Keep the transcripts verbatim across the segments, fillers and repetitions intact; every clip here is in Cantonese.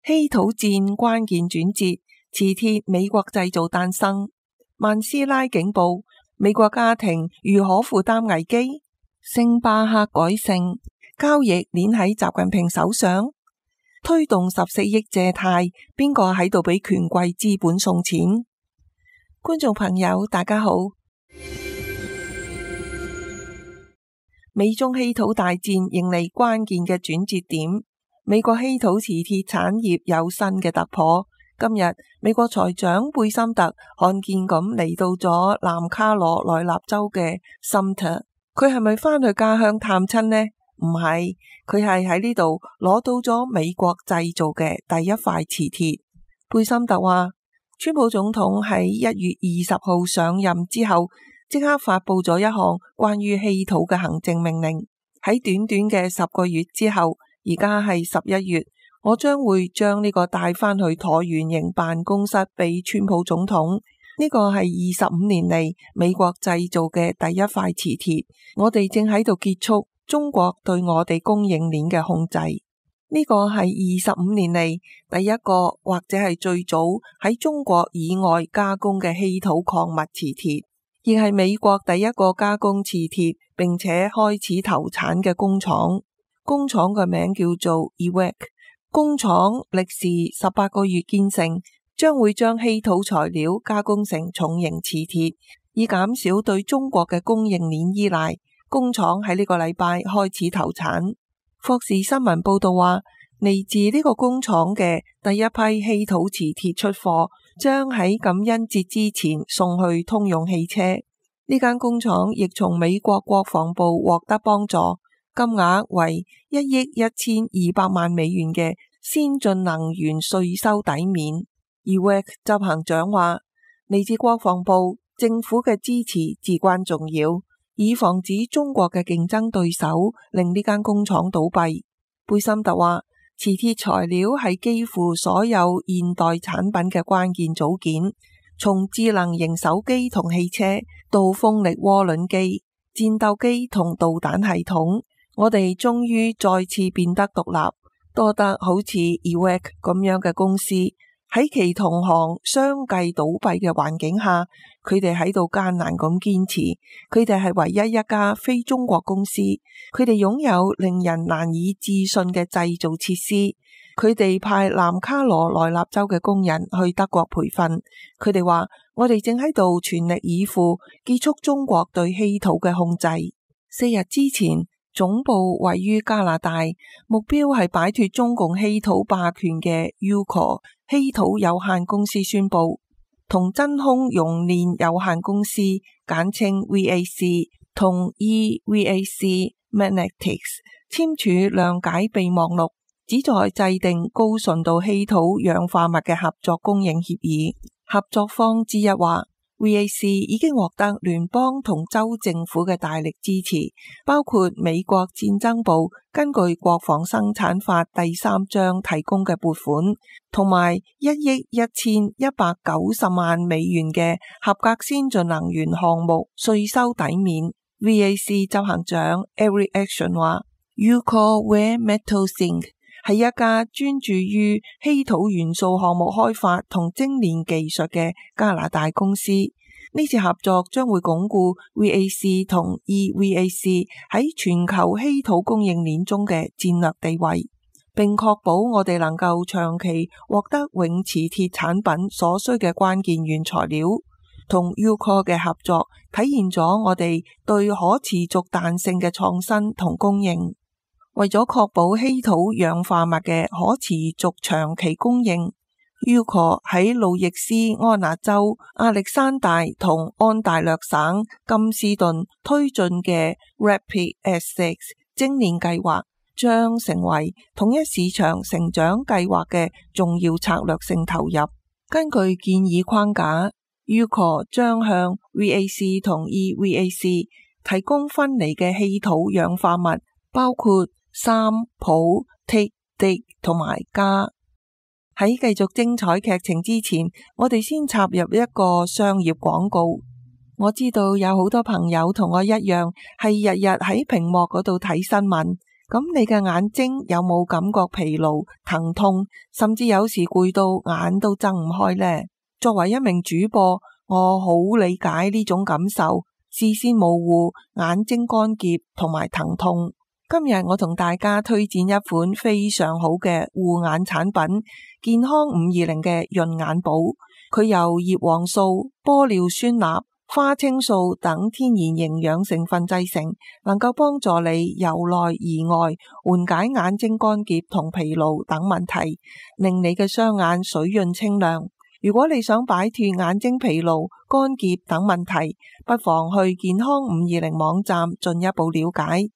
稀土戰關鍵轉折，磁鐵美國製造誕生。曼斯拉警報，美國家庭如何負擔危機？星巴克改姓，交易鏈喺習近平手上。推動十四億借貸，邊個喺度俾權貴資本送錢？觀眾朋友大家好。美中稀土大戰迎嚟關鍵嘅轉折點，美國稀土磁鐵產業有新嘅突破。今日美國財長貝森特罕見咁嚟到咗南卡羅來納州嘅 Sumter， 佢係咪返去家鄉探親呢？唔係，佢係喺呢度攞到咗美國製造嘅第一塊磁鐵。貝森特話，川普總統喺一月二十號上任之後，即刻發佈咗一項關於稀土嘅行政命令。喺短短嘅十個月之後，而家係十一月，我將會將呢個帶返去橢圓形辦公室俾川普總統。呢個係二十五年嚟美國製造嘅第一塊磁鐵。我哋正喺度結束中國對我哋供應鏈嘅控制。呢個係二十五年嚟第一個或者係最早喺中國以外加工嘅稀土礦物磁鐵，亦係美國第一個加工磁鐵並且開始投產嘅工廠。工廠嘅名叫做 E W E C， 工廠歷時十八個月建成，將會將稀土材料加工成重型磁鐵，以減少對中國嘅供應鏈依賴。工廠喺呢個禮拜開始投產。霍士新聞報道話，嚟自呢個工廠嘅第一批稀土磁鐵出貨，將喺感恩節之前送去通用汽車。呢間工廠亦從美國國防部獲得幫助，金額為一億一千二百萬美元嘅先進能源稅收抵免。而 E W E C 執行長話，嚟自國防部政府嘅支持至關重要，以防止中國嘅競爭對手令呢間工廠倒閉。貝森特話，磁鐵材料係幾乎所有現代產品嘅關鍵組件，從智能型手機同汽車到風力渦輪機、戰鬥機同導彈系統，我哋終於再次變得獨立，多得好似 E W E C 咁樣嘅公司。喺其同行相繼倒閉嘅環境下，佢哋喺度艱難咁堅持。佢哋係唯一一家非中國公司，佢哋擁有令人難以置信嘅製造設施。佢哋派南卡羅來納州嘅工人去德國培訓。佢哋話，我哋正喺度全力以赴結束中國對稀土嘅控制。四日之前，總部位於加拿大，目標係擺脫中共稀土霸權嘅 Ucore 稀土有限公司宣布，同真空熔煉有限公司簡稱 V A C 同 E V A C Magnetics 簽署諒解備忘錄，旨在制定高純度稀土氧化物嘅合作供應協議。合作方之一話，V A C 已經獲得聯邦同州政府嘅大力支持，包括美國戰爭部根據國防生產法第三章提供嘅撥款，同埋一億一千一百九十萬美元嘅合格先進能源項目稅收抵免。V A C 執行長 Eric Action 話 Ucore Rare Metals Inc 係一家專注於稀土元素項目開發同精煉技術嘅加拿大公司。呢次合作將會鞏固 V A C 同 E V A C 喺全球稀土供應鏈中嘅戰略地位，並確保我哋能夠長期獲得永磁鐵產品所需嘅關鍵原材料。同 Ucore 嘅合作體現咗我哋對可持續彈性嘅創新同供應。為咗確保稀土氧化物嘅可持續長期供應， Ucore 喺路易斯安那州、亞歷山大同安大略省金斯頓推進嘅 Rapid S 六 精煉計劃，將成為統一市場成長計劃嘅重要策略性投入。根據建議框架， Ucore 將向 V A C 同 E V A C 提供分離嘅稀土氧化物，包括三、鈷、銻、銻同埋鎵。喺繼續精彩劇情之前，我哋先插入一個商業廣告。我知道有好多朋友同我一樣，係日日喺屏幕嗰度睇新聞。咁你嘅眼睛有冇感覺疲勞、疼痛，甚至有時攰到眼都睜唔開呢？作為一名主播，我好理解呢種感受，視線模糊、眼睛乾澀同埋疼痛。今日我同大家推薦一款非常好嘅護眼產品，健康五二零嘅潤眼寶。佢由葉黃素、玻尿酸鈉、花青素等天然營養成分製成，能夠幫助你由內而外緩解眼睛乾澀同疲勞等問題，令你嘅雙眼水潤清亮。如果你想擺脫眼睛疲勞、乾澀等問題，不妨去健康五二零網站進一步了解。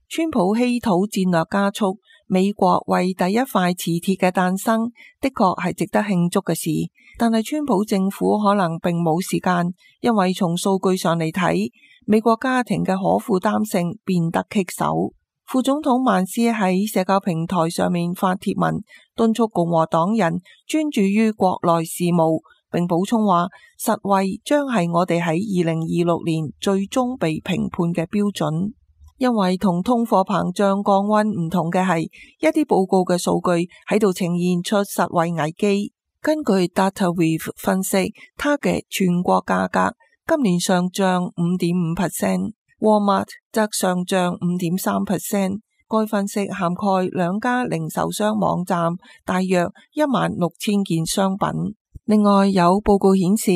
川普稀土戰略加速，美國為第一塊磁鐵嘅誕生，的確係值得慶祝嘅事。但係川普政府可能並冇時間，因為從數據上嚟睇，美國家庭嘅可負擔性變得棘手。副總統曼斯喺社交平台上面發帖文，敦促共和黨人專注於國內事務，並補充話，實惠將係我哋喺二零二六年最終被評判嘅標準。因為同通貨膨脹降溫唔同嘅係，一啲報告嘅數據喺度呈現出實惠危機。根據 DataWeave 分析，Target 全國價格今年上漲 五點五 percent，Walmart 則上漲 五點三 percent。該分析涵蓋兩家零售商網站，大約一萬六千件商品。另外有報告顯示，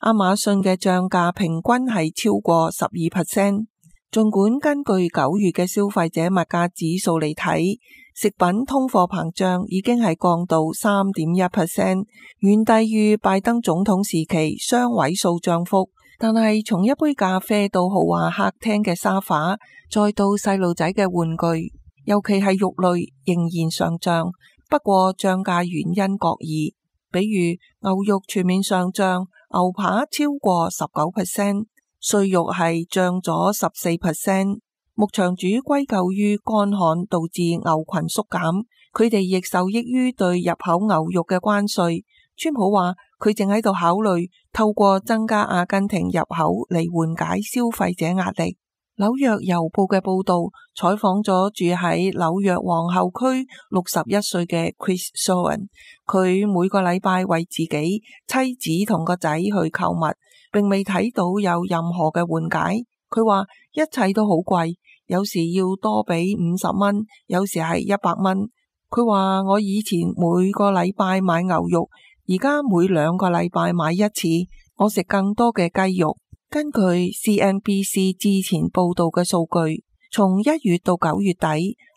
亞馬遜嘅漲價平均係超過十二 percent。儘管根據九月嘅消費者物價指數嚟睇，食品通貨膨脹已經係降到 三點一 percent， 遠低於拜登總統時期雙位數漲幅。但係從一杯咖啡到豪華客廳嘅沙發，再到細路仔嘅玩具，尤其係肉類仍然上漲。不過漲價原因各異，比如牛肉全面上漲，牛扒超過十九 percent。碎肉係漲咗十四 percent， 牧場主歸咎於乾旱導致牛群縮減，佢哋亦受益於對入口牛肉嘅關稅。川普話佢正喺度考慮透過增加阿根廷入口嚟緩解消費者壓力。紐約郵報嘅報道採訪咗住喺紐約皇后區六十一歲嘅 Chris Sohan， 佢每個禮拜為自己、妻子同個仔去購物，並未睇到有任何嘅緩解。佢話一切都好貴，有時要多俾五十蚊，有時係一百蚊。佢話我以前每個禮拜買牛肉，而家每兩個禮拜買一次，我食更多嘅雞肉。根據 C N B C 之前報道嘅數據，從一月到九月底，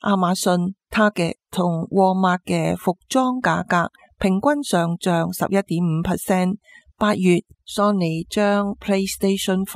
亞馬遜、Target 同 Walmart 嘅服裝價格平均上漲十一點五 percent。八月 Sony 將 PlayStation 五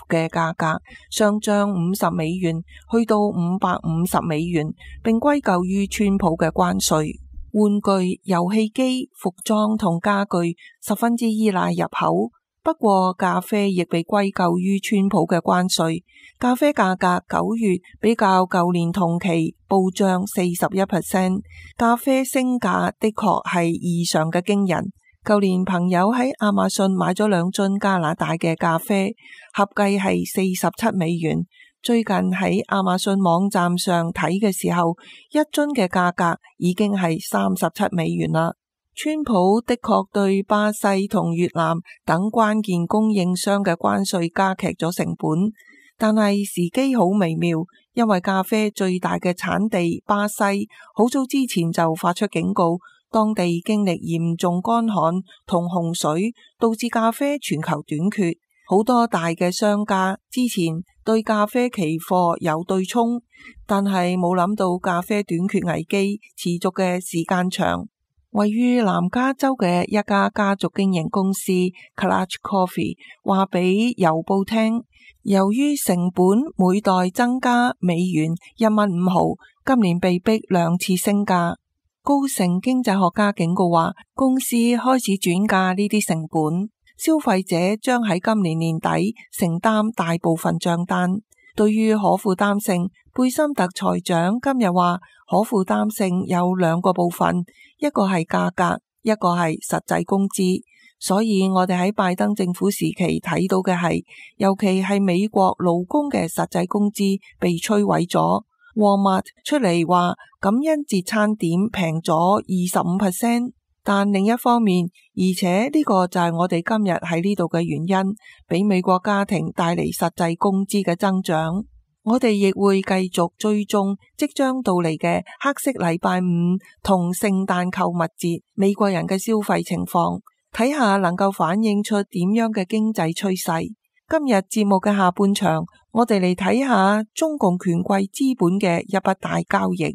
嘅價格上漲五十美元，去到五百五十美元，並歸咎於川普嘅關稅。玩具、遊戲機、服裝同家具十分之依賴入口。不過咖啡亦被歸咎於川普嘅關稅，咖啡價格九月比較舊年同期暴漲四十一 percent， 咖啡升價的確係異常嘅驚人。舊年朋友喺亞馬遜買咗兩樽加拿大嘅咖啡，合計係四十七美元。最近喺亞馬遜網站上睇嘅時候，一樽嘅價格已經係三十七美元啦。川普的確對巴西同越南等關鍵供應商嘅關稅加劇咗成本，但係時機好微妙，因為咖啡最大嘅產地巴西好早之前就發出警告，當地經歷嚴重乾旱同洪水，導致咖啡全球短缺。好多大嘅商家之前對咖啡期貨有對沖，但係冇諗到咖啡短缺危機持續嘅時間長。位於南加州嘅一家家族經營公司 Clutch Coffee 話俾郵報聽，由於成本每袋增加美元一蚊五毫，今年被逼兩次升價。高盛經濟學家警告話，公司開始轉嫁呢啲成本，消費者將喺今年年底承擔大部分賬單。對於可負擔性，貝森特財長今日話，可負擔性有兩個部分，一個係價格，一個係實際工資。所以我哋喺拜登政府時期睇到嘅係，尤其係美國勞工嘅實際工資被摧毀咗。Walmart出嚟話感恩節餐點平咗二十五 percent， 但另一方面，而且呢個就係我哋今日喺呢度嘅原因，俾美國家庭帶嚟實際工資嘅增長。我哋亦會繼續追蹤即將到嚟嘅黑色禮拜五同聖誕購物節美國人嘅消費情況，睇下能夠反映出點樣嘅經濟趨勢。今日節目嘅下半場，我哋嚟睇下中共權貴資本嘅一筆大交易。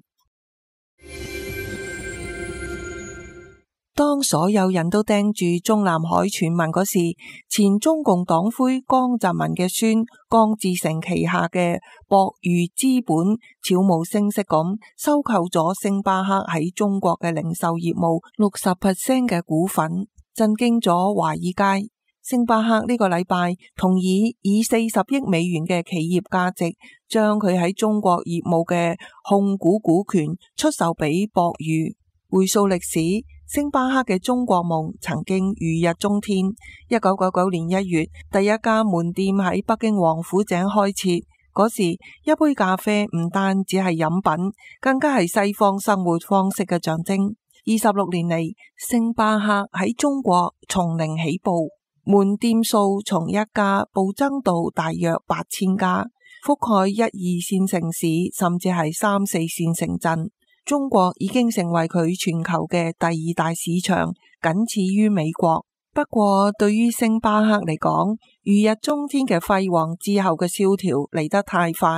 當所有人都盯住中南海傳聞嗰時，前中共黨魁江澤民嘅孫江志成旗下嘅博裕資本悄無聲息咁收購咗星巴克喺中國嘅零售業務六十 percent 嘅股份，震驚咗華爾街。星巴克呢個禮拜同意以四十億美元嘅企業價值，將佢喺中國業務嘅控股股權出售俾博裕。回溯歷史，星巴克嘅中國夢曾經如日中天。一九九九年一月，第一家門店喺北京王府井開設。嗰時，一杯咖啡唔單只係飲品，更加係西方生活方式嘅象徵。二十六年嚟，星巴克喺中國從零起步，門店數從一家暴增到大約八千家，覆蓋一二線城市，甚至係三四線城鎮。中國已經成為佢全球嘅第二大市場，僅次於美國。不過對於星巴克嚟講，如日中天嘅輝煌之後嘅蕭條嚟得太快。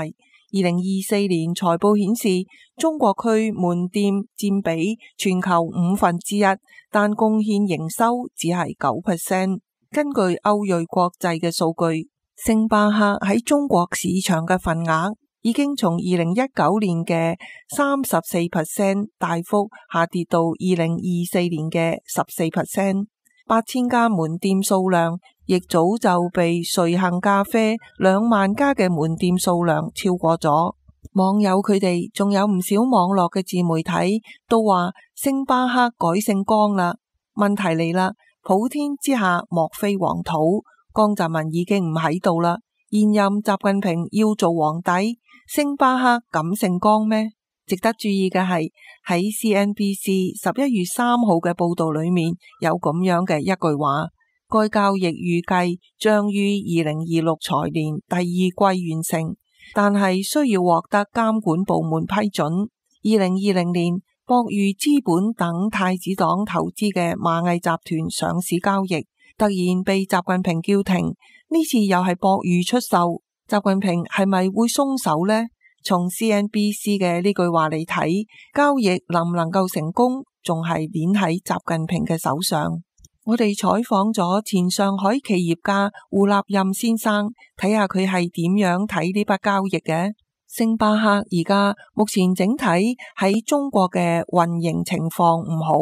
二零二四年財報顯示，中國區門店佔比全球五分之一，但貢獻營收只係九 percent。根據歐瑞國際嘅數據，星巴克喺中國市場嘅份額已經從二零一九年嘅三十四 percent 大幅下跌到二零二四年嘅十四 percent。八千家門店數量亦早就被瑞幸咖啡兩萬家嘅門店數量超過咗。網友佢哋仲有唔少網絡嘅自媒體都話星巴克改姓江啦。問題嚟啦，普天之下莫非黃土，江澤民已經唔喺度啦。現任習近平要做皇帝，星巴克敢姓江咩？值得注意嘅係喺 C N B C 十一月三號嘅報道裏面有咁樣嘅一句話，該交易預計將於二零二六財年第二季完成，但係需要獲得監管部門批准。二零二零年，博裕資本等太子黨投資嘅螞蟻集團上市交易，突然被習近平叫停。呢次又係博裕出售，習近平係咪會鬆手呢？從 C N B C 嘅呢句話嚟睇，交易能唔能夠成功，仲係捏喺習近平嘅手上。我哋採訪咗前上海企業家胡立任先生，睇下佢係點樣睇呢筆交易嘅。星巴克而家目前整體喺中國嘅運營情況唔好，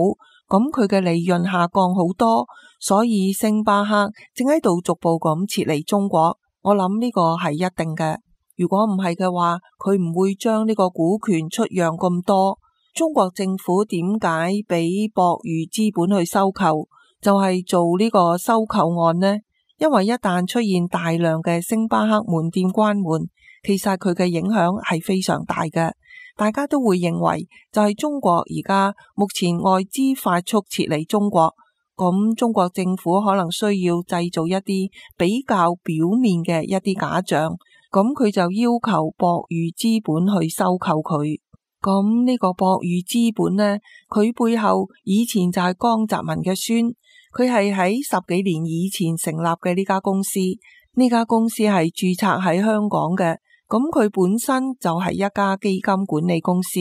咁佢嘅利潤下降好多，所以星巴克正喺度逐步咁撤離中國。我諗呢個係一定嘅。如果唔係嘅話，佢唔會將呢個股權出讓咁多。中國政府點解俾博裕資本去收購，就係做呢個收購案呢？因為一旦出現大量嘅星巴克門店關門，其實佢嘅影響係非常大嘅。大家都會認為就係中國而家目前外資快速撤離中國，咁中國政府可能需要製造一啲比較表面嘅一啲假象。咁佢就要求博裕資本去收購佢。咁呢個博裕資本呢，佢背後以前就係江澤民嘅孫，佢係喺十幾年以前成立嘅呢家公司。呢家公司係註冊喺香港嘅，咁佢本身就係一家基金管理公司。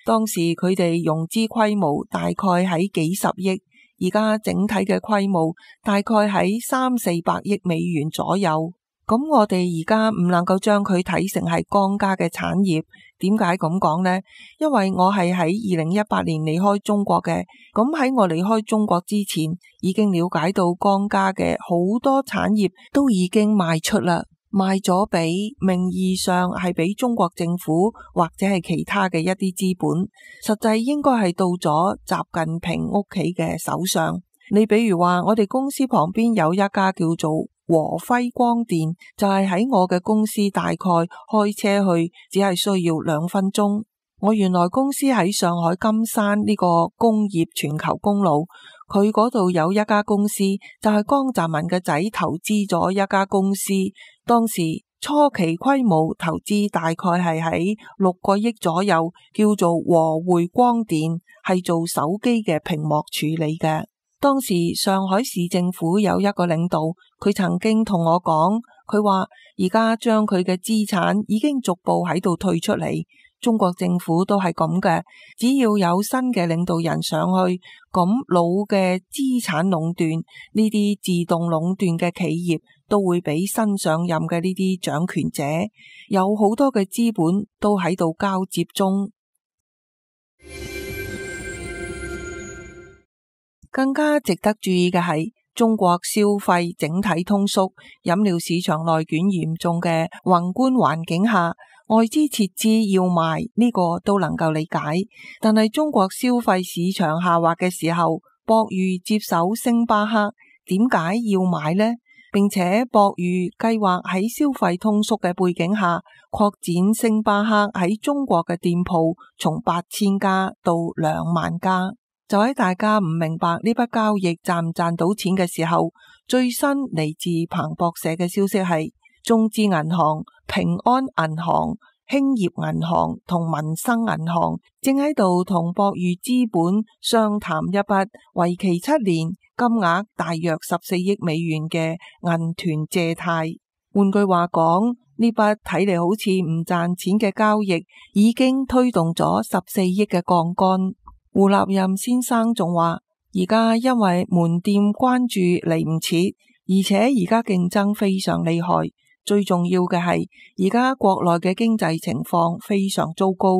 當時佢哋融資規模大概喺幾十億，而家整體嘅規模大概喺三四百億美元左右。咁我哋而家唔能夠將佢睇成係江家嘅產業。點解咁講呢？因為我係喺二零一八年離開中國嘅，咁喺我離開中國之前，已經了解到江家嘅好多產業都已經賣出啦，賣咗俾名義上係俾中國政府或者係其他嘅一啲資本，實際應該係到咗習近平屋企嘅手上。你比如話，我哋公司旁邊有一家叫做和輝光電，就係喺我嘅公司大概開車去只係需要兩分鐘。我原來公司喺上海金山呢個工業全球公路，佢嗰度有一家公司，就係江澤民嘅仔投資咗一家公司，當時初期規模投資大概係喺六個億左右，叫做和匯光電，係做手機嘅屏幕處理嘅。當時上海市政府有一個領導，佢曾經同我講，佢話而家將佢嘅資產已經逐步喺度退出嚟。中國政府都係咁嘅，只要有新嘅領導人上去，咁老嘅資產壟斷，呢啲自動壟斷嘅企業都會俾新上任嘅呢啲掌權者，有好多嘅資本都喺度交接中。更加值得注意嘅係，中國消費整體通縮，飲料市場內捲嚴重嘅宏觀環境下，外資撤資要賣呢個都能夠理解。但係中國消費市場下滑嘅時候，博裕接手星巴克，點解要買呢？並且博裕計劃喺消費通縮嘅背景下，擴展星巴克喺中國嘅店鋪，從八千家到兩萬家。就喺大家唔明白呢筆交易賺唔賺到錢嘅時候，最新嚟自彭博社嘅消息係，中資銀行、平安銀行、興業銀行同民生銀行正喺度同博裕資本商談一筆為期七年、金額大約十四億美元嘅銀團借貸。換句話講，呢筆睇嚟好似唔賺錢嘅交易已經推動咗十四億嘅槓桿。胡立任先生仲話，而家因為門店關注嚟唔切，而且而家競爭非常厲害，最重要嘅係而家國內嘅經濟情況非常糟糕。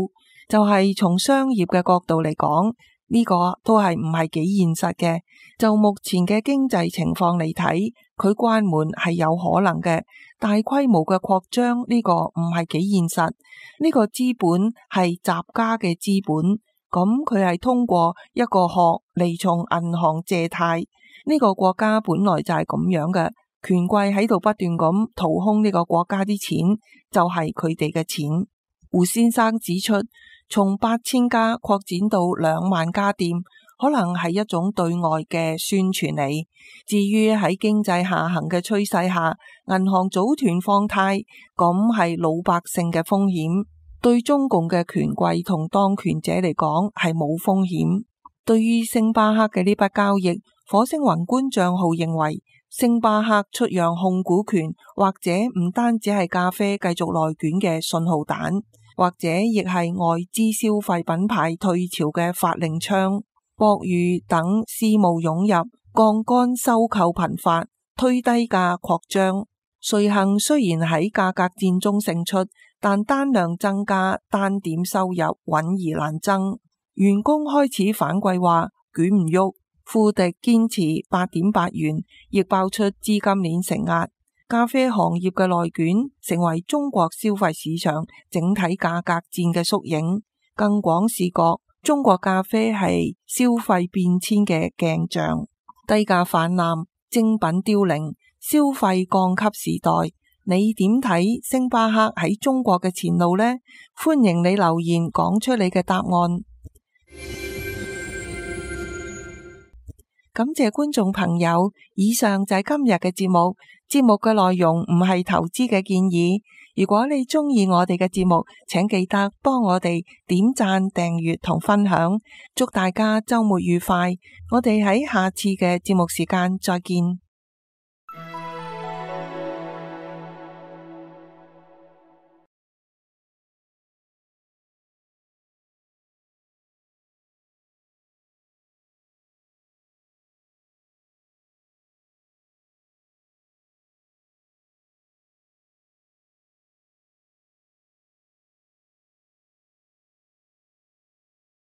就係從商業嘅角度嚟講，呢個都係唔係幾現實嘅。就目前嘅經濟情況嚟睇，佢關門係有可能嘅，大規模嘅擴張呢個唔係幾現實。呢個資本係習家嘅資本。咁佢係通過一個殼嚟從銀行借貸，呢個國家本來就係咁樣嘅，權貴喺度不斷咁掏空呢個國家啲錢，就係佢哋嘅錢。胡先生指出，從八千家擴展到兩萬家店，可能係一種對外嘅宣傳嚟。至於喺經濟下行嘅趨勢下，銀行組團放貸，咁係老百姓嘅風險。對中共嘅權貴同當權者嚟講係冇風險。對於星巴克嘅呢筆交易，火星宏觀賬號認為，星巴克出讓控股權，或者唔單止係咖啡繼續內捲嘅信號彈，或者亦係外資消費品牌退潮嘅發令槍。博裕等私募湧入，槓桿收購頻發，推低價擴張。瑞幸雖然喺價格戰中勝出，但單量增加，單點收入穩而難增。員工開始反饋話捲唔喐。富迪堅持八點八元，亦爆出資金鏈承壓。咖啡行業嘅內捲成為中國消費市場整體價格戰嘅縮影。更廣視覺，中國咖啡係消費變遷嘅鏡像。低價泛濫，精品凋零，消費降級時代，你點睇星巴克喺中國嘅前路呢？歡迎你留言講出你嘅答案。感謝觀眾朋友，以上就係今日嘅節目。節目嘅內容唔係投資嘅建議。如果你鍾意我哋嘅節目，請記得幫我哋點讚、訂閱同分享。祝大家週末愉快！我哋喺下次嘅節目時間再見。